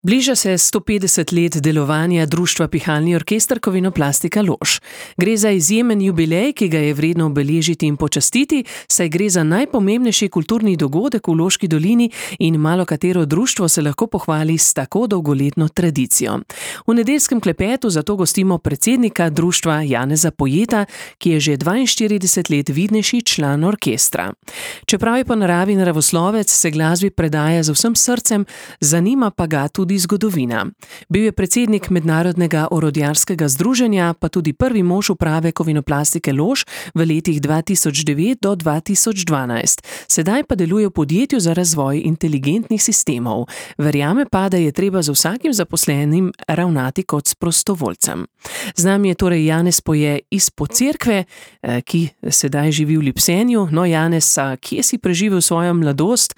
Bliža se 150 let delovanja društva Pihalni orkester Kovinoplastika Lož. Gre za izjemen jubilej, ki ga je vredno obeležiti in počastiti, saj gre za najpomembnejši kulturni dogodek v Loški dolini in malo katero društvo se lahko pohvali s tako dolgoletno tradicijo. V nedeljskem klepetu zato gostimo predsednika društva Janeza Pojeta, ki je že 42 let vidnejši član orkestra. Čeprav je po naravi naravoslovec, se glasbi predaja z vsem srcem, zanima pa ga tudi zgodovina. Bil je predsednik Mednarodnega orodjarskega združenja, pa tudi prvi mož uprave Kovinoplastike Lož v letih 2009 do 2012. Sedaj pa deluje v podjetju za razvoj inteligentnih sistemov. Verjame pa, da je treba z vsakim zaposlenim ravnati kot s prostovoljcem. Z nami je torej Janez Poje iz Pocerkve, ki sedaj živi v Lipsenju. No, Janez, kje si preživel svojo mladost?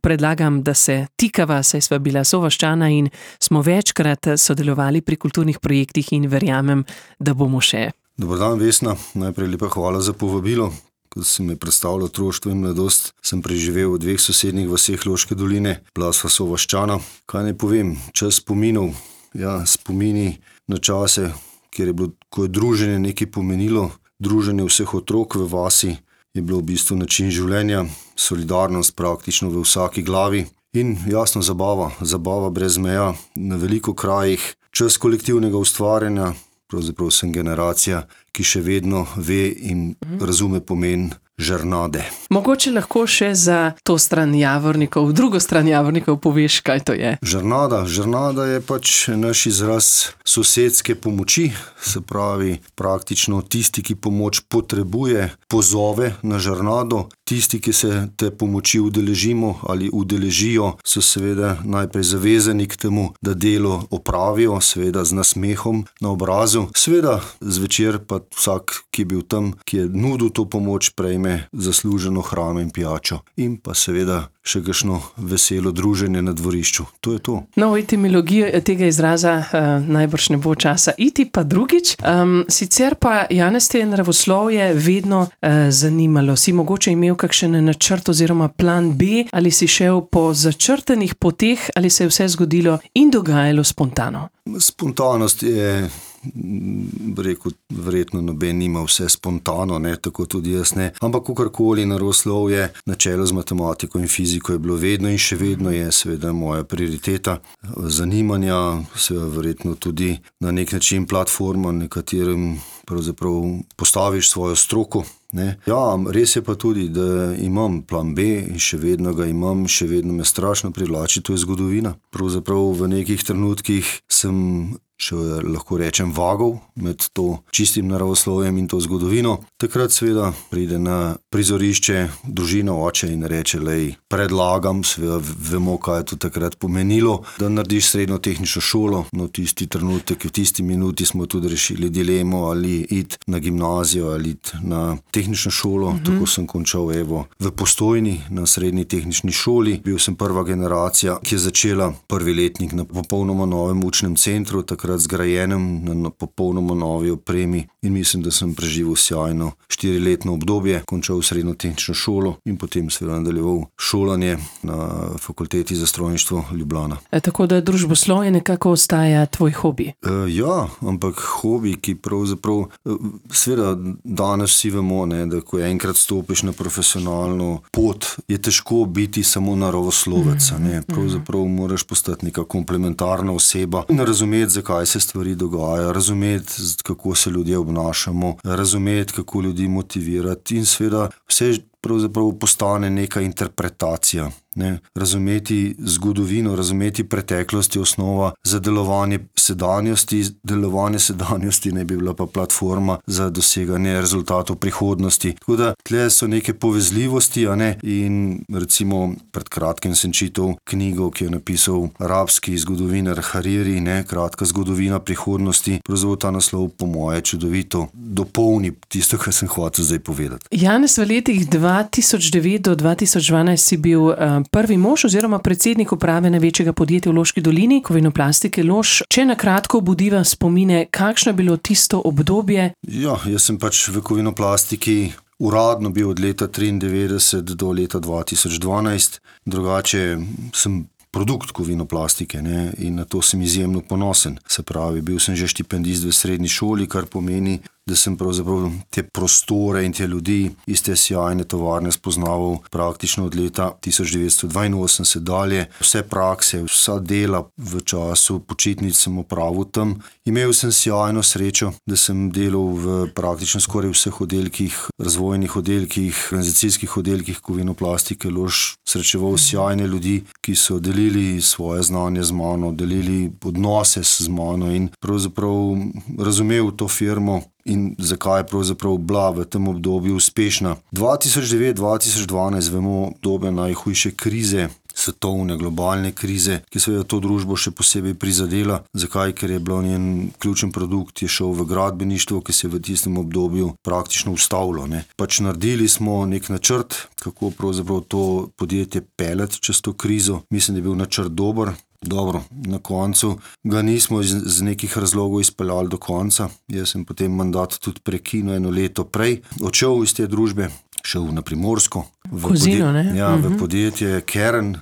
Predlagam, da se tikava, saj sva bila sovaščana in smo večkrat sodelovali pri kulturnih projektih in verjamem, da bomo še. Dobar dan, Vesna. Najprej lepa hvala za povabilo. Ko si me predstavljal otroštvo in mladost, sem preživel v 2 sosednjih vaseh Loške doline, bila sva sovaščana. Kaj naj povem, čas spominov, spomini na čase, kjer je bilo, ko je druženje nekaj pomenilo, druženje vseh otrok v vasi je bilo v bistvu način življenja, solidarnost praktično v vsaki glavi. In jasno zabava brez meja, na veliko krajih, čas kolektivnega ustvarjanja, pravzaprav sem generacija, ki še vedno ve in razume pomen žrnade. Mogoče lahko še za to stran Javornikov, drugo stran Javornikov poveš, kaj to je? Žrnada je pač naš izraz sosedske pomoči, se pravi praktično tisti, ki pomoč potrebuje, pozove na žrnado. Tisti, ki se te pomoči udeležimo ali udeležijo, so seveda najprej zavezani k temu, da delo opravijo, seveda z nasmehom na obrazu. Seveda zvečer pa vsak, ki je bil tam, ki je nudil to pomoč, prejme zasluženo hrano in pijačo. In pa seveda še kakšno veselo druženje na dvorišču. To je to. No, v etimologiji tega izraza najbrž ne bo časa iti, pa drugič. Sicer pa, Janez, te naravoslovje vedno zanimalo. Si mogoče imel kakšen načrt oziroma plan B, ali si šel po začrtanih poteh, ali se je vse zgodilo in dogajalo spontano? Spontanost je, rekel, verjetno noben nima vse spontano, tako tudi jaz ne. Ampak kakorkoli naravoslovje, na čelu z matematiko in fiziko je bilo vedno in še vedno je seveda moja prioriteta zanimanja, seveda verjetno tudi na nek način platforma, na katerem pravzaprav postaviš svojo stroko. Res je pa tudi, da imam plan B in še vedno ga imam, še vedno me strašno privlači, to je zgodovina. Pravzaprav v nekih trenutkih sem še lahko rečem vagal med to čistim naravoslovjem in to zgodovino. Takrat seveda pride na prizorišče družina, oče in reče, predlagam, seveda vemo, kaj je to takrat pomenilo, da narediš srednjo tehnično šolo. No, tisti trenutek, v tisti minuti smo tudi rešili dilemo, ali iti na gimnazijo ali iti na tehnično šolo. Tako sem končal v Postojni na srednji tehnični šoli. Bil sem prva generacija, ki je začela prvi letnik na popolnoma novem učnem centru, takrat zgrajenem na popolnoma novi opremi, in mislim, da sem preživel sjajno 4-letno obdobje, končal srednjo tehnično šolo in potem seveda nadaljeval šolanje na Fakulteti za strojništvo Ljubljana. Tako da družboslovje nekako ostaja tvoj hobi? Ampak hobi, ki pravzaprav, seveda danes vsi vemo, da ko enkrat stopiš na profesionalno pot, je težko biti samo naravoslovec. Pravzaprav moraš postati neka komplementarna oseba in razumeti, zakaj se stvari dogajajo, razumeti, kako se ljudje obnašamo, razumeti, kako ljudi motivirati in seveda vse pravzaprav postane neka interpretacija. Razumeti zgodovino, razumeti preteklost je osnova za delovanje sedanjosti. Delovanje sedanjosti ne bi bila pa platforma za doseganje rezultatov prihodnosti. Tako da tle so neke povezljivosti, in recimo pred kratkim sem čital knjigo, ki je napisal arabski zgodovinar Hariri, kratka zgodovina prihodnosti. Pravzaprav ta naslov po moje čudovito dopolni tisto, kar sem hotel zdaj povedati. Janez, v letih 2009 do 2012 si bil prvi mož oziroma predsednik uprave največjega podjetja v Loški dolini, Kovinoplastike Lož. Če na kratko obudiva spomine, kakšno je bilo tisto obdobje? Jaz sem pač v Kovinoplastiki uradno bil od leta 1993 do leta 2012. Drugače sem produkt Kovinoplastike, ne, in na to sem izjemno ponosen. Se pravi, bil sem že štipendist v srednji šoli, kar pomeni, da sem pravzaprav te prostore in te ljudi iz te sjajne tovarne spoznaval praktično od leta 1982 dalje. Vse prakse, vsa dela v času počitnic sem opravil tam. Imel sem sjajno srečo, da sem delal v praktično skoraj vseh oddelkih, razvojnih oddelkih, organizacijskih oddelkih Kovinoplastike Lož, srečeval sjajne ljudi, ki so delili svoje znanje z mano, delili odnose z mano in pravzaprav razumel to firmo in zakaj je pravzaprav bila v tem obdobju uspešna. 2009-2012 vemo dobe najhujše krize, svetovne, globalne krize, ki seveda to družbo še posebej prizadela. Zakaj? Ker je bil njen ključen produkt, je šel v gradbeništvo, ki se je v tistem obdobju praktično ustavilo. Pač naredili smo nek načrt, kako pravzaprav to podjetje peljati čez to krizo. Mislim, da je bil načrt dober. Dobro, na koncu ga nismo iz nekih razlogov izpeljali do konca. Jaz sem potem mandat tudi prekinil 1 leto prej. Odšel iz te družbe, šel na Primorsko. V podjetje Kern,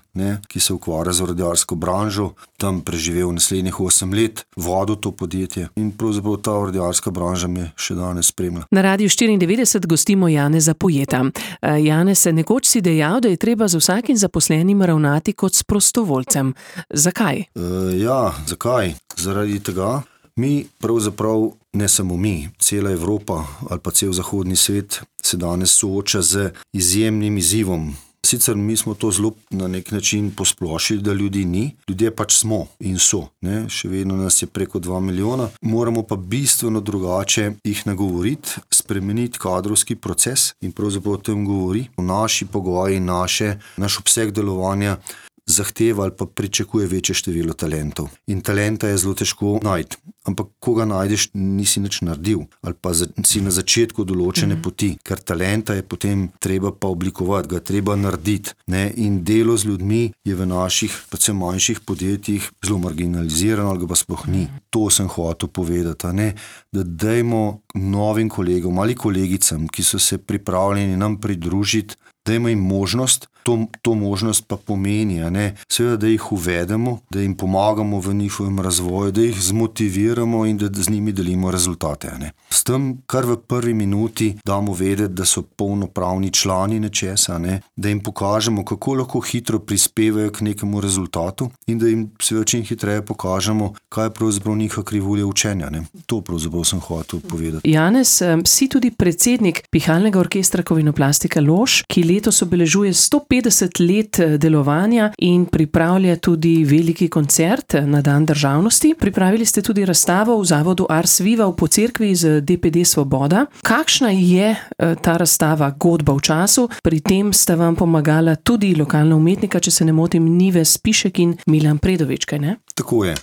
ki se ukvarja z orodjarsko branžo. Tam preživel naslednjih 8 let, vodil to podjetje in pravzaprav ta orodjarska branža me še danes spremlja. Na Radiu 94 gostimo Janeza Pojeta. Janez, nekoč si dejal, da je treba z vsakim zaposlenim ravnati kot s prostovoljcem. Zakaj? Zakaj? Zaradi tega. Mi pravzaprav, ne samo mi, cela Evropa ali pa cel zahodni svet se danes sooča z izjemnim izzivom. Sicer mi smo to zelo na nek način posplošili, da ljudi ni. Ljudje pač smo in so. Še vedno nas je preko 2 milijona. Moramo pa bistveno drugače jih nagovoriti, spremeniti kadrovski proces in pravzaprav o tem govori. Naši pogoji, naš obseg delovanja zahteva ali pa pričakuje večje število talentov. In talenta je zelo težko najti. Ampak ko ga najdeš, nisi nič naredil. Ali pa si na začetku določene poti. Ker talenta je potem treba pa oblikovati, ga treba narediti. In delo z ljudmi je v naših, predvsem manjših podjetjih zelo marginalizirano, ali ga pa sploh ni. To sem hotel povedati. Da dajmo novim kolegom ali kolegicam, ki so se pripravljeni nam pridružiti, dajmo jim možnost, to možnost pa pomeni, seveda, da jih uvedemo, da jim pomagamo v njihovem razvoju, da jih zmotiviramo in da z njimi delimo rezultate. S tem, kar v prvi minuti damo vedeti, da so polnopravni člani nečesa, da jim pokažemo, kako lahko hitro prispevajo k nekemu rezultatu in da jim seveda čim hitreje pokažemo, kaj je pravzaprav njihova krivulja učenja. To pravzaprav sem hotel povedati. Janez, si tudi predsednik Pihalnega orkestra Kovinoplastika Lož, ki letos obeležuje 150 let delovanja in pripravlja tudi veliki koncert na Dan državnosti. Pripravili ste tudi razstavo v zavodu Ars Viva v Pocerkvi z DPD Svoboda. Kakšna je ta razstava godba v času? Pri tem sta vam pomagala tudi lokalna umetnika, če se ne motim, Nives Pišek in Milan Predovič, kaj ne? Tako je.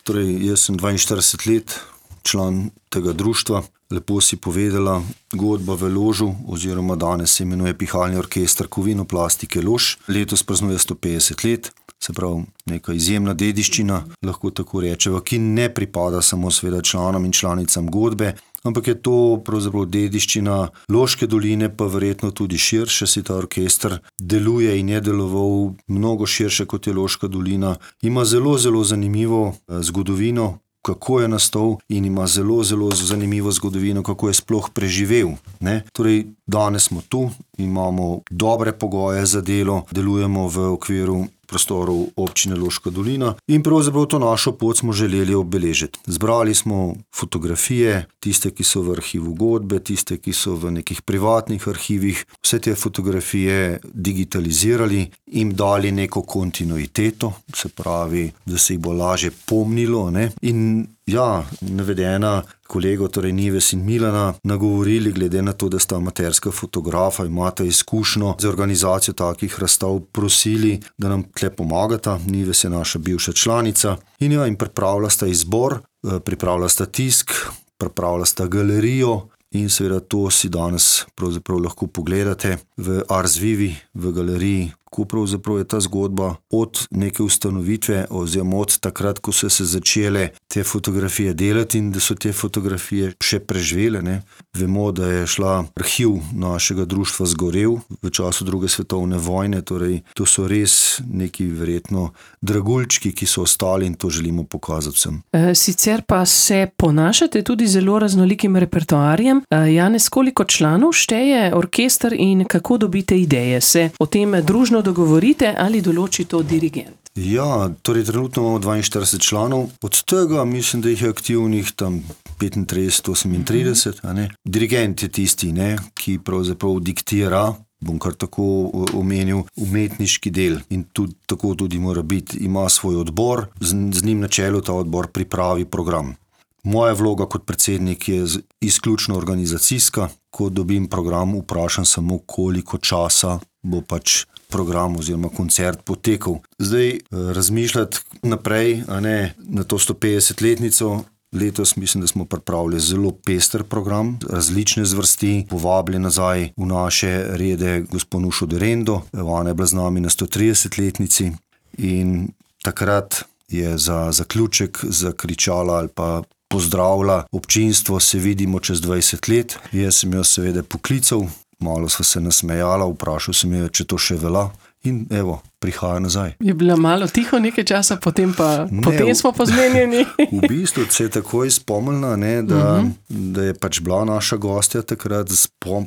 Torej, jaz sem 42 let član tega društva. Lepo si povedala, godba v Ložu, oziroma danes se imenuje Pihalni orkester Kovinoplastike Lož. Letos praznuje 150 let, se pravi neka izjemna dediščina, lahko tako rečeva, ki ne pripada samo seveda članom in članicam godbe, ampak je to pravzaprav dediščina Loške doline, pa verjetno tudi širše. Si ta orkester deluje in je deloval mnogo širše, kot je Loška dolina. Ima zelo, zelo zanimivo zgodovino, kako je nastal, in ima zelo, zelo zanimivo zgodovino, kako je sploh preživel. Torej, danes smo tu, imamo dobre pogoje za delo, delujemo v okviru prostorov občine Loška dolina in pravzaprav to našo pot smo želeli obeležiti. Zbrali smo fotografije, tiste, ki so v arhivu godbe, tiste, ki so v nekih privatnih arhivih, vse te fotografije digitalizirali, jim dali neko kontinuiteto, se pravi, da se jih bo lažje pomnilo, in navedena kolego, torej Nives in Milana, nagovorili, glede na to, da sta amaterska fotografa, imata izkušnjo za organizacijo takih razstav, prosili, da nam tle pomagata. Nives je naša bivša članica in pripravila sta izbor, pripravila sta tisk, pripravila sta galerijo in seveda to si danes pravzaprav lahko pogledate v Ars Vivi, v galeriji kako pravzaprav je ta zgodba od neke ustanovitve oziroma od takrat, ko so se začele te fotografije delati in da so te fotografije še preživele. Ne. Vemo, da je šla arhiv našega društva zgorel v času druge svetovne vojne, torej to so res neki verjetno dragulčki, ki so ostali in to želimo pokazati vsem. Sicer pa se ponašate tudi zelo raznolikim repertoarjem. Janez, koliko članov šteje orkester in kako dobite ideje? Se o tem družno dogovorite ali določi to dirigent? Ja, torej trenutno imamo 42 članov, od tega mislim, da jih je aktivnih tam 35-38, a ne. Dirigent je tisti, ne, ki pravzaprav diktira, bom kar tako omenil, umetniški del in tako tudi mora biti. Ima svoj odbor, z njim na čelu ta odbor pripravi program. Moja vloga kot predsednik je izključno organizacijska. Ko dobim program, vprašam samo, koliko časa bo pač program oziroma koncert potekal. Zdaj razmišljati naprej, a ne, na to 150-letnico. Letos mislim, da smo pripravili zelo pester program, različne zvrsti, povabili nazaj v naše rede gospo Nušo Derendo, ona je bila z nami na 130-letnici in takrat je za zaključek zakričala ali pa pozdravila občinstvo, se vidimo čez 20 let. Jaz sem jo seveda poklical, malo sva se nasmejala, vprašal sem jo, če to še velja. In evo, prihaja nazaj. Je bila malo tiho nekaj časa, potem smo pozmenjeni. V bistvu se je takoj spomnila, ne, da je pač bila naša gostja takrat,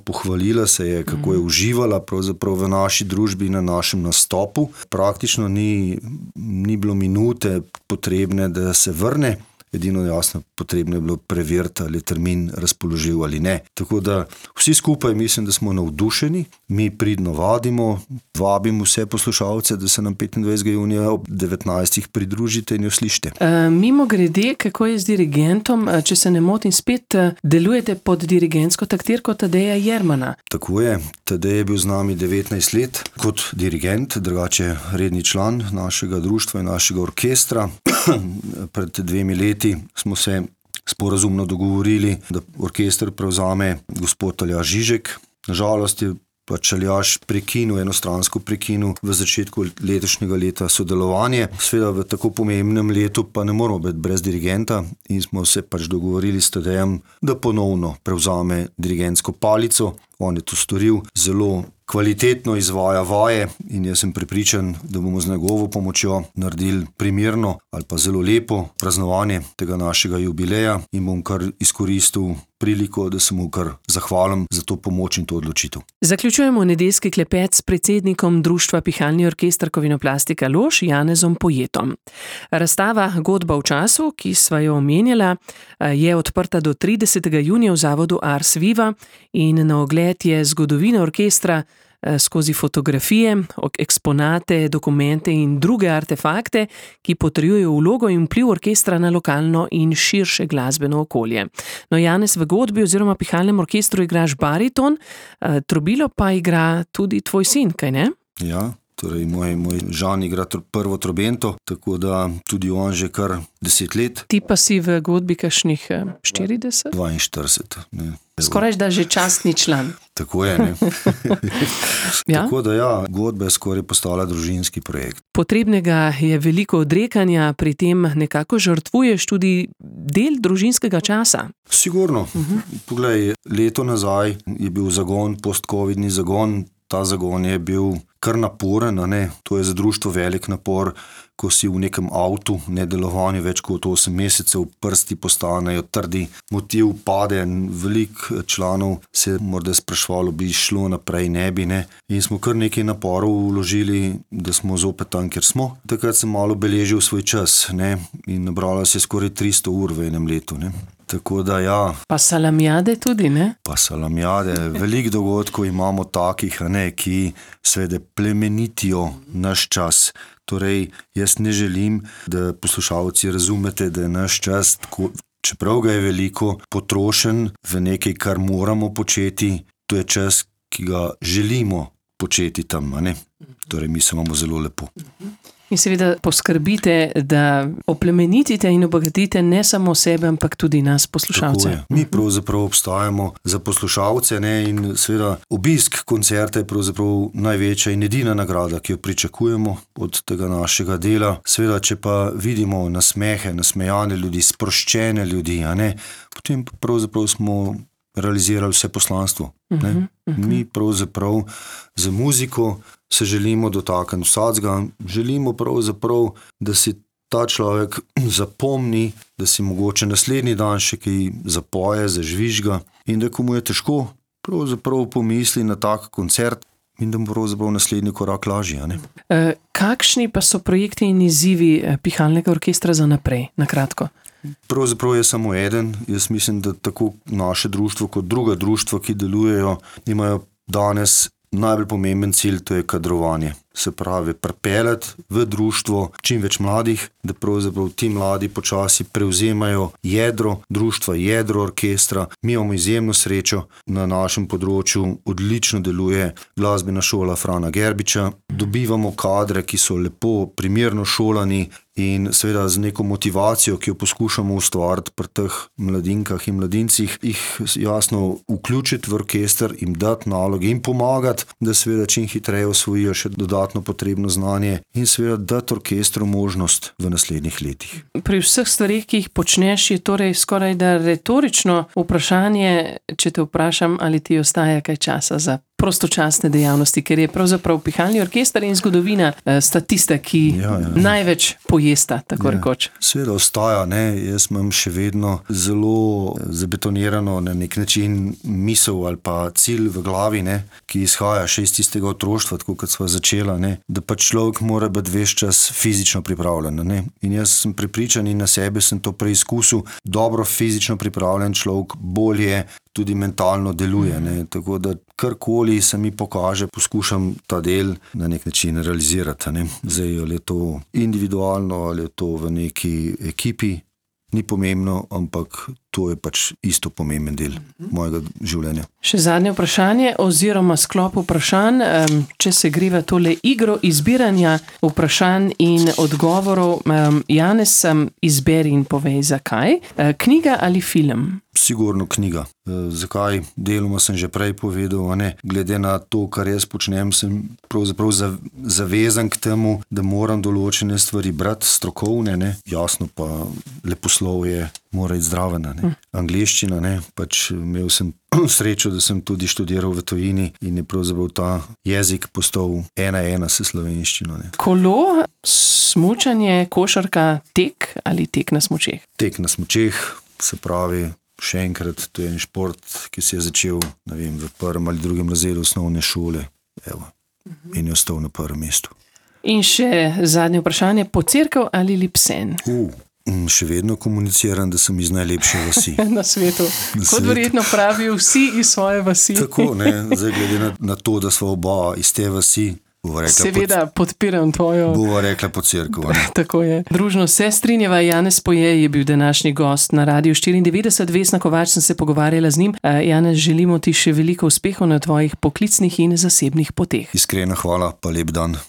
pohvalila se je, kako je uživala pravzaprav v naši družbi, na našem nastopu. Praktično ni bilo minute potrebne, da se vrne. Edino jasno potrebno je bilo preveriti, ali je termin razpoložljiv ali ne. Tako da vsi skupaj mislim, da smo navdušeni, mi pridno vabimo vse poslušalce, da se nam 25. junija ob 19. pridružite in jo slišite. Mimogrede, kako je z dirigentom, če se ne motim, spet delujete pod dirigentsko taktirko Tadeja Jermana? Tako je, Tadej je bil z nami 19 let kot dirigent, drugače redni član našega društva in našega orkestra. Pred 2 leti smo se sporazumno dogovorili, da orkester prevzame gospod Aljaž Žižek. Nažalost je pač Aljaž enostransko prekinil v začetku letošnjega leta sodelovanje. Seveda v tako pomembnem letu pa ne moramo biti brez dirigenta in smo se pač dogovorili s Tadejem, da ponovno prevzame dirigentsko palico. On je to storil, zelo kvalitetno izvaja vaje in jaz sem prepričan, da bomo z njegovo pomočjo naredili primerno ali pa zelo lepo praznovanje tega našega jubileja in bom kar izkoristil priliko, da se mu kar zahvalim za to pomoč in to odločitev. Zaključujemo nedeljski klepet s predsednikom Društva Pihalni orkester Kovinoplastika Lož, Janezom Pojetom. Razstava Godba v času, ki sva jo omenjala, je odprta do 30. junija v zavodu Ars Viva in na ogled je zgodovina orkestra skozi fotografije, eksponate, dokumente in druge artefakte, ki potrjujejo vlogo in vpliv orkestra na lokalno in širše glasbeno okolje. No, Janez, v godbi oziroma pihalnem orkestru igraš bariton, trobilo pa igra tudi tvoj sin, kaj ne? Ja. Torej, moj Žan igra prvo trobento, tako da tudi on že kar 10 let. Ti pa si v godbi kakšnih 40? 42. Ne. Skoraj da že častni član. Tako je, ne. Ja? Tako da ja, godba je skoraj postala družinski projekt. Potrebnega je veliko odrekanja, pri tem nekako žrtvuješ tudi del družinskega časa. Sigurno. Poglej, leto nazaj je bil zagon, post-covidni zagon. Ta zagon je bil kar naporen, ne? To je za društvo velik napor, ko si v nekem avtu, nedelovanju več kot 8 mesecev, prsti postanejo trdi, motiv pade, veliko članov se morda sprašvalo, bi šlo naprej, ne bi, ne. In smo kar nekaj naporov vložili, da smo zopet tam, kjer smo. Takrat sem malo beležil svoj čas, ne, in nabralo se skoraj 300 ur v enem letu, ne. Tako da ja. Pa salamjade tudi, ne? Pa salamjade, veliko dogodkov imamo takih, ne, ki seveda plemenitijo naš čas. Torej, jaz ne želim, da poslušalci razumete, da je naš čas, čeprav ga je veliko, potrošen v nekaj, kar moramo početi, to je čas, ki ga želimo početi tam, ne? Torej, mi se imamo zelo lepo. In seveda poskrbite, da oplemenitite in obogatite ne samo sebe, ampak tudi nas, poslušalce. Mi pravzaprav obstajamo za poslušalce, ne, in seveda obisk koncerta je pravzaprav največja in edina nagrada, ki jo pričakujemo od tega našega dela. Seveda, če pa vidimo nasmehe, nasmejane ljudi, sproščene ljudi, a ne, potem pravzaprav smo realizirali vse poslanstvo. Ne. Mi pravzaprav za muziko se želimo dotakniti vsakega, želimo pravzaprav, da si ta človek zapomni, da si mogoče naslednji dan še kaj zapoje, zažvižga in da komu je težko, pravzaprav pomisli na tak koncert in da mu pravzaprav naslednji korak lažje. Ne? Kakšni pa so projekti in izzivi Pihalnega orkestra za naprej, na kratko? Pravzaprav je samo eden. Jaz mislim, da tako naše društvo kot druga društva, ki delujejo, imajo danes najbolj pomemben cilj, to je kadrovanje. Se pravi, pripeljati v društvo čim več mladih, da pravzaprav ti mladi počasi prevzemajo jedro društva, jedro orkestra. Mi imamo izjemno srečo, na našem področju odlično deluje glasbena šola Frana Gerbiča. Dobivamo kadre, ki so lepo, primerno šolani in seveda z neko motivacijo, ki jo poskušamo ustvariti pri teh mladinkah in mladincih, jih jasno vključiti v orkester, jim dati naloge in pomagati, da seveda čim hitreje osvojijo še dodatno potrebno znanje in seveda dati orkestru možnost v naslednjih letih. Pri vseh stvarih, ki jih počneš, je torej skoraj da retorično vprašanje, če te vprašam, ali ti ostaja kaj časa za prostočasne dejavnosti, ker je pravzaprav Pihalni orkester in zgodovina sta tiste, ki največ pojesta, tako rekoč. Seveda ostaja, ne. Jaz imam še vedno zelo zabetonirano na nek način misel ali pa cilj v glavi, ne, ki izhaja še iz tistega otroštva, tako kot sva začela, ne, da pa človek mora biti ves čas fizično pripravljen. Ne. In jaz sem prepričan in na sebe sem to preizkusil, dobro fizično pripravljen človek bolje tudi mentalno deluje, ne. Tako da karkoli se mi pokaže, poskušam ta del na nek način realizirati. Ne. Zdaj, ali je to individualno, ali je to v neki ekipi, ni pomembno, ampak to je pač isto pomemben del mojega življenja. Še zadnje vprašanje oziroma sklop vprašanj, če se greva tole igro izbiranja vprašanj in odgovorov. Janez, izberi in povej, zakaj. Knjiga ali film? Sigurno knjiga. Zakaj? Deloma sem že prej povedal, ne? Glede na to, kar jaz počnem, sem pravzaprav zavezan k temu, da moram določene stvari brati strokovne, ne? Jasno pa leposlovje mora iti zraven, ne? Angleščina, ne? Pač imel sem srečo, da sem tudi študiral v tujini in je pravzaprav ta jezik postal 1:1 s slovenščino, ne? Kolo, smučanje, košarka, tek ali tek na smučeh? Tek na smučeh, se pravi, še enkrat, to je en šport, ki se je začel, ne vem, v 1. ali 2. razredu osnovne šole, evo, in je ostal na prvem mestu. In še zadnje vprašanje, Pocerkev ali Lipsen? Še vedno komuniciram, da sem iz najlepše vasi. Na svetu. Kot verjetno pravijo vsi iz svoje vasi. Tako, ne, zdaj glede na to, da sva oba iz te vasi, seveda podpiram tvojo. Bova rekla Pocerkev. Tako je. Družno se strinjava, Janez Poje je bil današnji gost na Radiu 94, Vesna Kovač sem se pogovarjala z njim. Janez, želimo ti še veliko uspehov na tvojih poklicnih in zasebnih poteh. Iskrena hvala, pa lep dan.